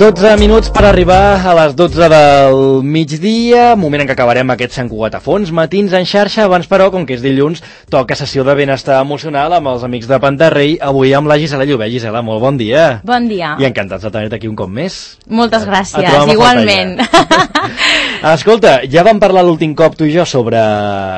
12 minuts per arribar a les 12 del migdia, moment en què acabarem aquest Sant Cugat a fons, matins en xarxa. Abans, però, com que és dilluns, toca sessió de benestar emocional amb els amics de Pantarrei, avui amb la Gisela Llobet. Gisela, molt bon dia. Bon dia. I encantats de tenir-te aquí un cop més. Moltes gràcies, igualment. Escolta, ja vam parlar l'últim cop tu i jo sobre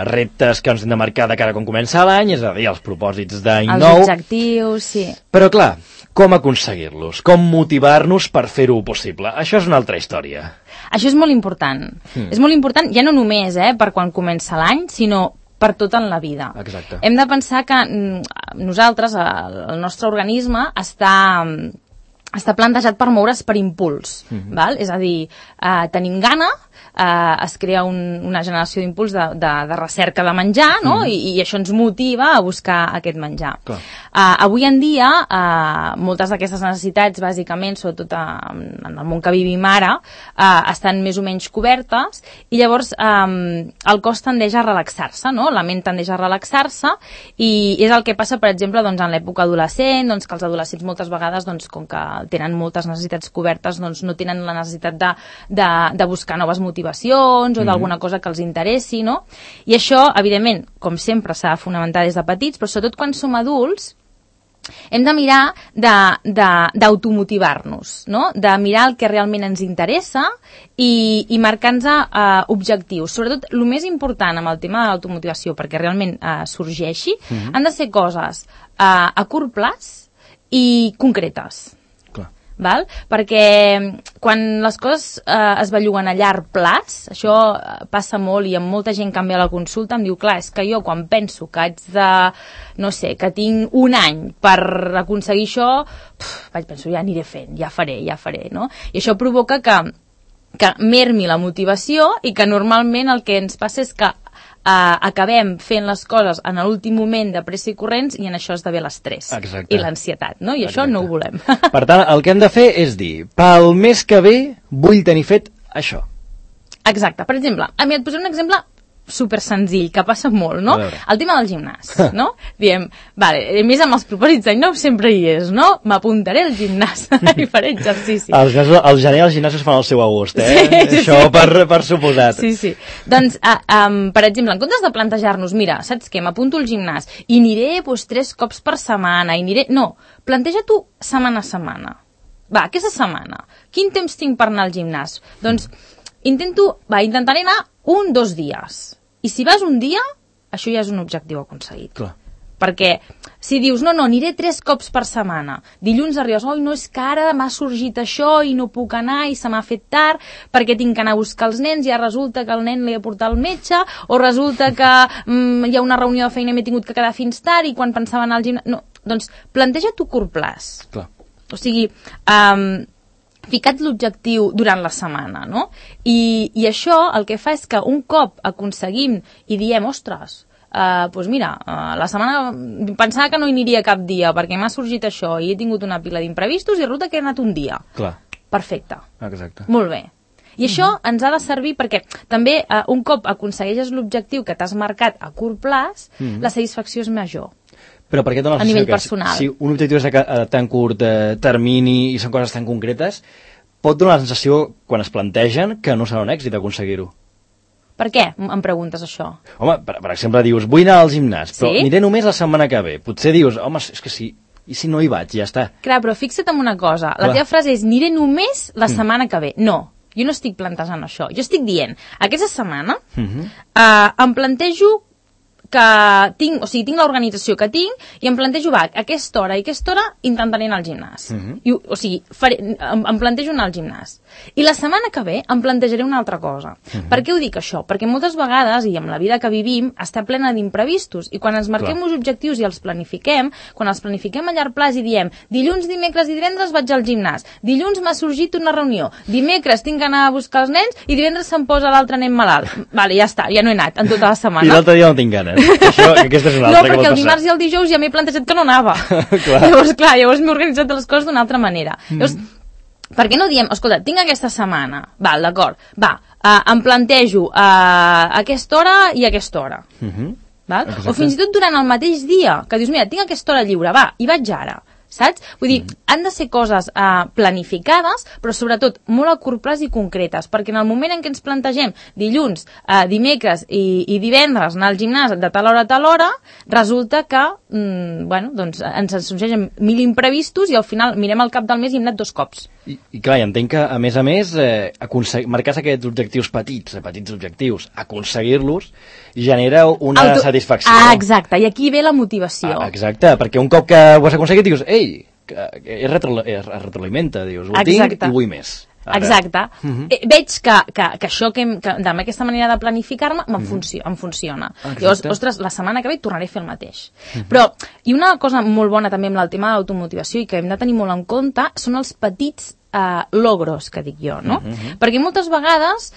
reptes que ens hem de marcar de cara quan comença l'any, és a dir, els propòsits d'any nou. Els objectius, sí. Però clar, com aconseguir-los? Com motivar-nos per fer-ho possible? Això és una altra història. Això és molt important. És molt important, ja no només per quan comença l'any, sinó per tot en la vida. Exacte. Hem de pensar que nosaltres, el nostre organisme, està plantejat per moure's per impuls. Val? És a dir, tenim gana, es crea una generació d'impuls de recerca de menjar, no? I això ens motiva a buscar aquest menjar. Avui en dia, moltes d'aquestes necessitats, bàsicament, sobretot en el món que vivim ara, estan més o menys cobertes, i llavors el cos tendeix a relaxar-se, no? La ment tendeix a relaxar-se, i és el que passa, per exemple, en l'època adolescent, que els adolescents moltes vegades, com que tenen moltes necessitats cobertes, no tenen la necessitat de buscar noves motivacions o d'alguna cosa que els interessi, no? I això, evidentment, com sempre, s'ha de fonamentar des de petits, però sobretot quan som adults, hem de mirar d'automotivar-nos, no? De mirar el que realment ens interessa i marcar-nos objectius. Sobretot, el més important amb el tema de l'automotivació, perquè realment sorgeixi, han de ser coses a curt plaç i concretes. Val? Perquè quan les coses es belluguen a llarg plaç, això passa molt, i amb molta gent que em ve a la consulta em diu, clar, és que jo quan penso que haig de, no sé, que tinc un any per aconseguir això, penso, ja aniré fent, ja faré, no? I això provoca que mermi la motivació i que normalment el que ens passa és que acabem fent les coses en l'últim moment de pressa i corrents, i en això esdevé l'estrès i l'ansietat, no? I això no ho volem. Per tant, el que hem de fer és dir, pel mes que ve vull tenir fet això. Exacte. Per exemple, et posaré un exemple super senzill, que passa molt, no? El tema del gimnàs, no? Diem, vale, a més amb els propòsits d'any nou sempre hi és, no? M'apuntaré al gimnàs i faré exercici. Al gener els gimnasos fan el seu agost, Això per suposat. Sí. Doncs, per exemple, en comptes de plantejar-nos, mira, saps què, m'apunto al gimnàs i aniré 3 cops per setmana, no, planteja tu setmana a setmana. Va, aquesta setmana, quin temps tinc per anar al gimnàs? Doncs, intentaré anar 1-2 dies. I si vas un dia, això ja és un objectiu aconseguit. Clar. Perquè si dius, no, aniré 3 cops per setmana, dilluns arribes, no, és que ara m'ha sorgit això i no puc anar i se m'ha fet tard perquè tinc que anar a buscar els nens, ja resulta que el nen l'he de portar al metge, o resulta que hi ha una reunió de feina i m'he tingut que quedar fins tard i quan pensava anar al gimnàs... No, doncs planteja tu curt plaç. Clar. O sigui, ficat l'objectiu durant la setmana, no? I això el que fa és que un cop aconseguim i diem, ostres, doncs mira, la setmana pensava que no hi aniria cap dia perquè m'ha sorgit això i he tingut una pila d'imprevistos i resulta que he anat un dia. Clar. Perfecte. Exacte. Molt bé. I això ens ha de servir perquè també un cop aconsegueixes l'objectiu que t'has marcat a curt plaç, la satisfacció és major. Però per què dona la sensació que si un objectiu és a tan curt termini i són coses tan concretes, pot donar la sensació, quan es plantegen, que no serà un èxit aconseguir-ho? Per què em preguntes això? Home, per exemple, dius, vull anar al gimnàs, però aniré només la setmana que ve. Potser dius, home, és que sí, i si no hi vaig, ja està. Clar, però fixa't en una cosa, la teva frase és, aniré només la setmana que ve. No, jo no estic plantejant això. Jo estic dient, aquesta setmana em plantejo que tinc l'organització que tinc i em plantejo, aquesta hora i aquesta hora intentaré anar al gimnàs. O sigui, em plantejo anar al gimnàs. I la setmana que ve em plantejaré una altra cosa. Per què ho dic això? Perquè moltes vegades, i amb la vida que vivim, està plena d'imprevistos. I quan ens marquem uns objectius i els planifiquem, quan els planifiquem a llarg plaç i diem dilluns, dimecres i divendres vaig al gimnàs, dilluns m'ha sorgit una reunió, dimecres tinc que anar a buscar els nens i divendres se'm posa l'altre nen malalt. Vale, ja està, ja no he anat en tota la setmana. I l'altre dia no tinc ganes. Aquesta és una altra no, perquè el dimarts i el dijous ja m'he plantejat que no anava. Llavors m'he organitzat les coses d'una altra manera. Llavors, per què no diem, escolta, tinc aquesta setmana, d'acord, em plantejo a aquesta hora i a aquesta hora. O fins i tot durant el mateix dia, que dius, mira, tinc aquesta hora lliure, i vaig ara. saps? Vull dir, han de ser coses planificades, però sobretot molt a curt plaç i concretes, perquè en el moment en què ens plantegem dilluns, dimecres i divendres anar al gimnàs de tal hora a tal hora, resulta que doncs ens sorgeixen 1000 imprevistos i al final mirem al cap del mes i hem anat 2 cops. I clar, entenc que, a més, marcar-se aquests objectius petits objectius, aconseguir-los, genera una satisfacció. Exacte, i aquí ve la motivació. Exacte, perquè un cop que ho has aconseguit dius, ei, es retroalimenta, dius, ho tinc i vull més. Ara. Exacte. Veig que això, amb aquesta manera de planificar-me, em funciona. Llavors, ostres, la setmana que ve tornaré a fer el mateix. Però, i una cosa molt bona també amb el tema de l'automotivació i que hem de tenir molt en compte, són els petits logros, que dic jo, no? Perquè moltes vegades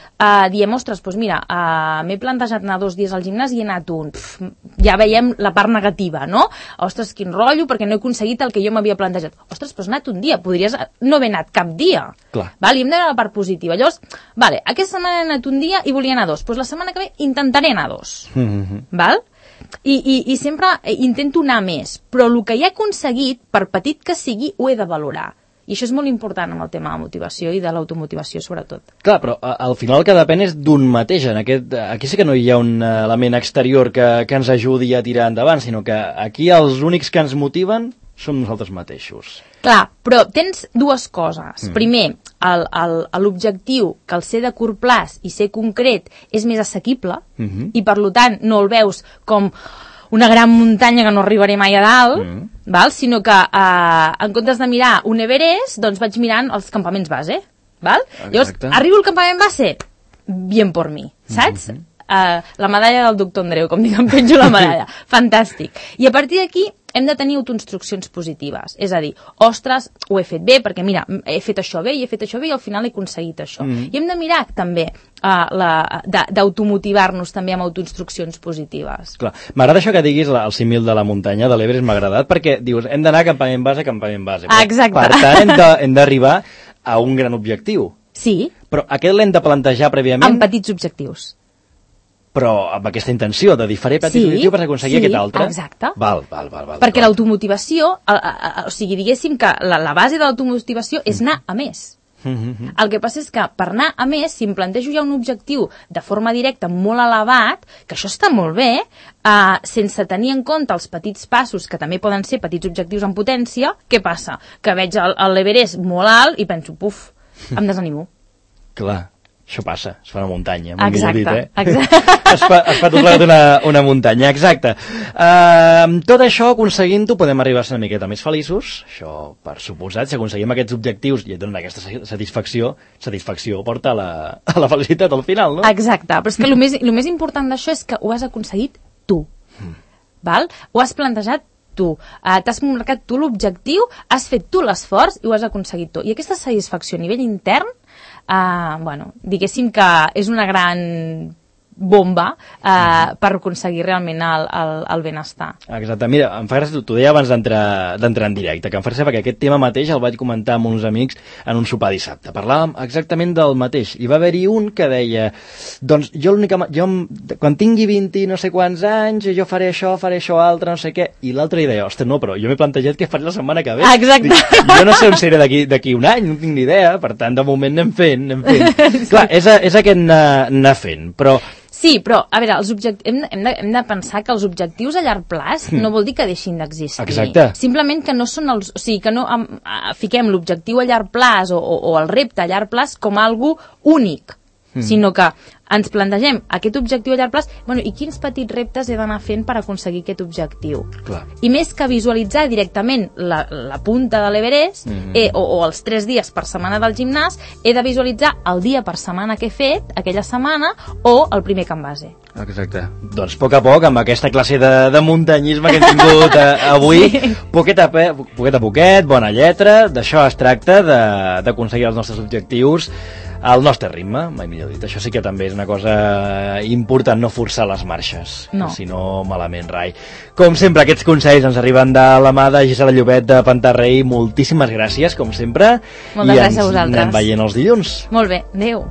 diem, ostres, doncs mira, m'he plantejat anar 2 dies al gimnàs i he anat un. Ja veiem la part negativa, no? Ostres, quin rotllo, perquè no he aconseguit el que jo m'havia plantejat. Ostres, però has anat un dia, podries no haver anat cap dia. Clar. Val? I hem de veure la part positiva. Llavors, vale, aquesta setmana he anat un dia i volia anar 2. Doncs la setmana que ve intentaré anar 2. Val? I sempre intento anar més, però el que he aconseguit, per petit que sigui, ho he de valorar. I això és molt important amb el tema de la motivació i de l'automotivació, sobretot. Clar, però al final el que depèn és d'un mateix. Aquí sí que no hi ha un element exterior que ens ajudi a tirar endavant, sinó que aquí els únics que ens motiven som nosaltres mateixos. Clar, però tens 2 coses. Primer, l'objectiu, que el ser de curt plaç i ser concret és més assequible, i per tant no el veus com una gran muntanya que no arribaré mai a dalt, val? Sinó que en comptes de mirar un Everest, doncs vaig mirant els campaments base. Val? Llavors, arribo al campament base, bien por mi, saps? La medalla del doctor Andreu, com dic, em penjo la medalla. Fantàstic. I a partir d'aquí hem de tenir autoinstruccions positives. És a dir, ostres, ho he fet bé, perquè mira, he fet això bé i he fet això bé i al final he aconseguit això. I hem de mirar també d'automotivar-nos també amb autoinstruccions positives. Clar, m'agrada això que diguis el símil de la muntanya, de l'Everest, m'ha agradat, perquè dius, hem d'anar campament base. Exacte. Per tant, hem d'arribar a un gran objectiu. Sí. Però aquest l'hem de plantejar prèviament? Amb petits objectius. Però amb aquesta intenció de diferir petit objectiu per aconseguir aquest altre. Exacte. Val. Perquè l'automotivació, o sigui, diguéssim que la base de l'automotivació és anar a més. El que passa és que per anar a més, si em plantejo ja un objectiu de forma directa molt elevat, que això està molt bé, sense tenir en compte els petits passos, que també poden ser petits objectius en potència, què passa? Que veig l'Everest molt alt i penso, puf, em desanimo. Clar. Això passa, es fa una muntanya. Exacte. Es fa tot plegat una muntanya, exacte. Amb tot això, aconseguint-ho, podem arribar a ser una miqueta més feliços. Això, per suposat, si aconseguim aquests objectius i et donen aquesta satisfacció porta a la felicitat al final, no? Exacte, però és que el més important d'això és que ho has aconseguit tu. Val? Ho has plantejat tu, t'has marcat tu l'objectiu, has fet tu l'esforç i ho has aconseguit tu. I aquesta satisfacció a nivell intern, diguéssim que és una gran bomba per aconseguir realment el benestar. Exacte, mira, em fa gràcia, t'ho deia abans d'entrar en directe, que em fa gràcia perquè aquest tema mateix el vaig comentar amb uns amics en un sopar dissabte. Parlàvem exactament del mateix. Hi va haver-hi un que deia, doncs jo quan tingui 20 no sé quants anys, jo faré això altre, no sé què, i l'altre hi deia, ostres, no, però jo m'he plantejat què faré la setmana que ve. Exacte. Jo no sé on seré d'aquí un any, no tinc ni idea, per tant, de moment anem fent. Sí. Clar, és aquest anar fent, però sí, però, a veure, hem de pensar que els objectius a llarg plaç no vol dir que deixin d'existir. Exacte. Simplement que no són o sigui, que no fiquem l'objectiu a llarg plaç o el repte a llarg plaç com algo únic, sinó que ens plantegem aquest objectiu a llarg plaç, i quins petits reptes he d'anar fent per aconseguir aquest objectiu. Clar. I més que visualitzar directament la punta de l'Everest o els 3 dies per setmana del gimnàs, he de visualitzar el dia per setmana que he fet aquella setmana o el primer camp base. Exacte. Doncs a poc, amb aquesta classe de muntanyisme que hem tingut avui, sí. Poquet a poquet, bona lletra, d'això es tracta, d'aconseguir els nostres objectius al nostre ritme, mai millor dit. Això sí que també és una cosa important, no forçar les marxes, no. Si no malament rai. Com sempre, aquests consells ens arriben de la mà de Gisela Llobet de Pantarrei. Moltíssimes gràcies, com sempre. Moltes gràcies a vosaltres. I ens anem veient els dilluns. Molt bé, adéu.